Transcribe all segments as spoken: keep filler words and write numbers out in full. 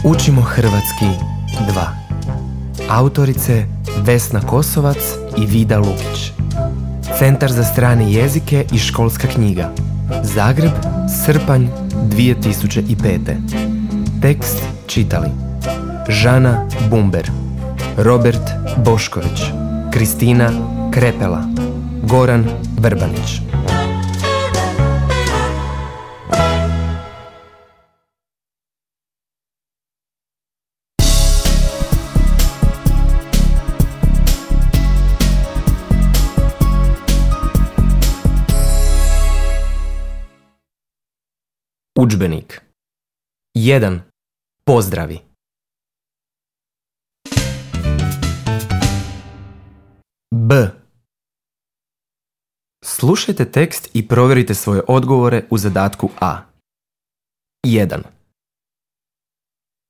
Učimo hrvatski dva. Autorice Vesna Kosovac i Vida Lukić. Centar za strane jezike i školska knjiga. Zagreb, srpanj dvije tisuće pete. Tekst čitali Žana Bumber, Robert Bošković, Kristina Krepela, Goran Vrbanić. Udžbenik. jedan. Pozdravi. B. Slušajte tekst i provjerite svoje odgovore u zadatku A. jedan.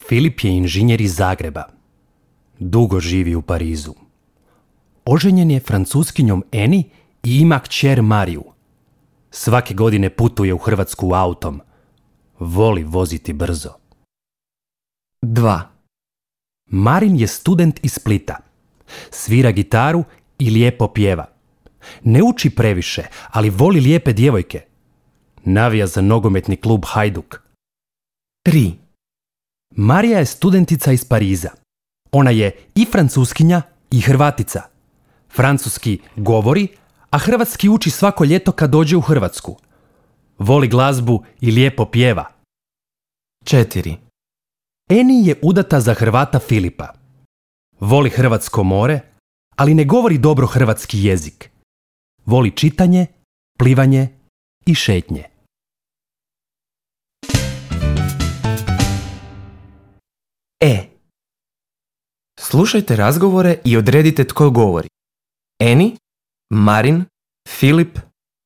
Filip je inženjer iz Zagreba. Dugo živi u Parizu. Oženjen je francuskinjom Eni i ima kćer Mariju. Svake godine putuje u Hrvatsku autom. Voli voziti brzo. dva. Marin je student iz Splita. Svira gitaru i lijepo pjeva. Ne uči previše, ali voli lijepe djevojke. Navija za nogometni klub Hajduk. tri. Marija je studentica iz Pariza. Ona je i francuskinja i Hrvatica. Francuski govori, a hrvatski uči svako ljeto kad dođe u Hrvatsku. Voli glazbu i lijepo pjeva. četiri. Eni je udata za Hrvata Filipa. Voli hrvatsko more, ali ne govori dobro hrvatski jezik. Voli čitanje, plivanje i šetnje. E. Slušajte razgovore i odredite tko govori. Eni, Marin, Filip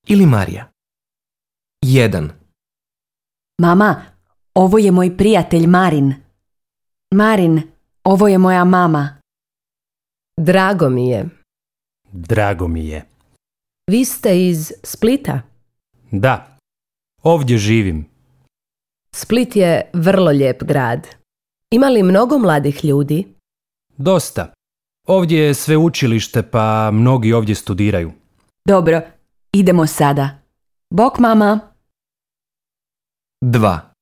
ili Marija. jedan. Mama, ovo je moj prijatelj Marin. Marin, ovo je moja mama. Drago mi je. Drago mi je. Vi ste iz Splita? Da, ovdje živim. Split je vrlo lijep grad. Ima li mnogo mladih ljudi? Dosta. Ovdje je sveučilište, pa mnogi ovdje studiraju. Dobro, idemo sada. Bok, mama. dva.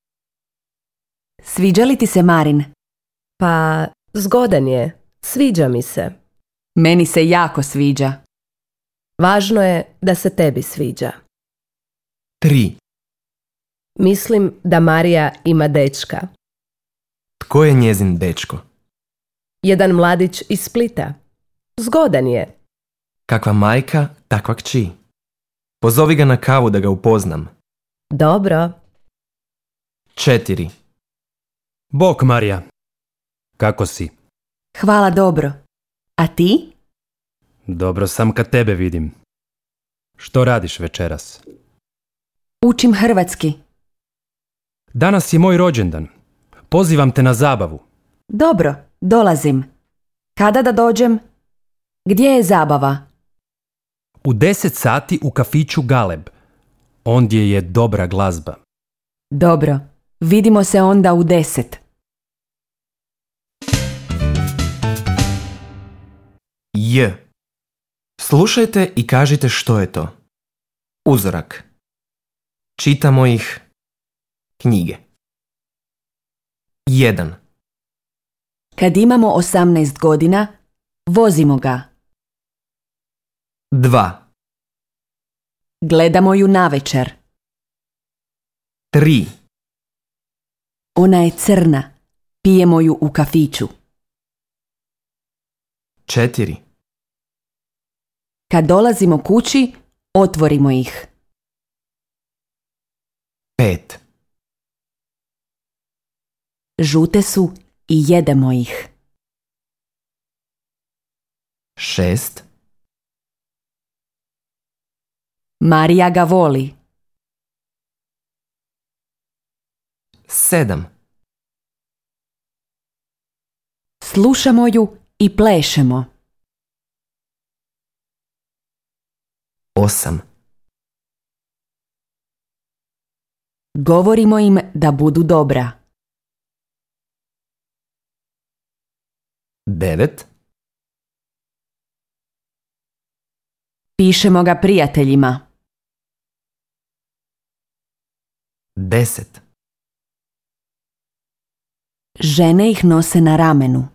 Sviđa li ti se Marin? Pa, zgodan je. Sviđa mi se. Meni se jako sviđa. Važno je da se tebi sviđa. tri. Mislim da Marija ima dečka. Tko je njezin dečko? Jedan mladić iz Splita. Zgodan je. Kakva majka, takva kći. Pozovi ga na kavu da ga upoznam. Dobro. četiri. Bok, Marija. Kako si? Hvala dobro. A ti? Dobro sam kad tebe vidim. Što radiš večeras? Učim hrvatski. Danas je moj rođendan. Pozivam te na zabavu. Dobro, dolazim. Kada da dođem? Gdje je zabava? U deset sati u kafiću Galeb. Ondje je dobra glazba. Dobro, vidimo se onda u deset. J. Slušajte i kažite što je to. Uzorak. Čitamo ih. Knjige. jedan. Kad imamo osamnaest godina, vozimo ga. dva. Gledamo ju navečer. tri. Ona je crna. Pijemo ju u kafiću. četiri. Kad dolazimo kući, otvorimo ih. pet. Žute su i jedemo ih. šest. Marija ga voli. sedam. Slušamo ju i plešemo. osam. Govorimo im da budu dobra. devet, Pišemo ga prijateljima. deset, Žene ih nose na ramenu.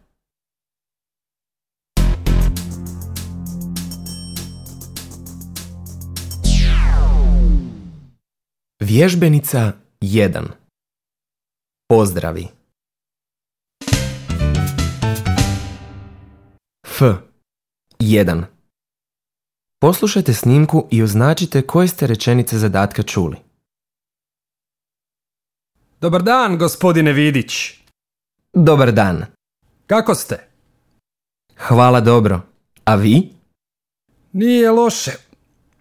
Vježbenica jedan. Pozdravi. F. jedan. Poslušajte snimku i označite koje ste rečenice zadatka čuli. Dobar dan, gospodine Vidić. Dobar dan. Kako ste? Hvala dobro. A vi? Nije loše.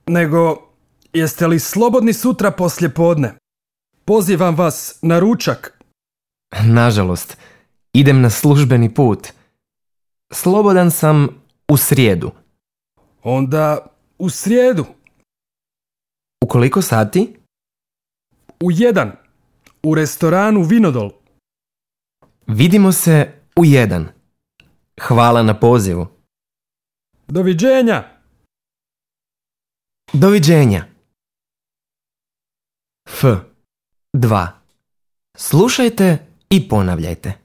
Nego, jeste li slobodni sutra poslje podne? Pozivam vas na ručak. Nažalost, idem na službeni put. Slobodan sam u srijedu. Onda u srijedu. U koliko sati? U jedan. U restoranu Vinodol. Vidimo se u jedan. Hvala na pozivu. Doviđenja. Doviđenja. F. dva. Slušajte i ponavljajte.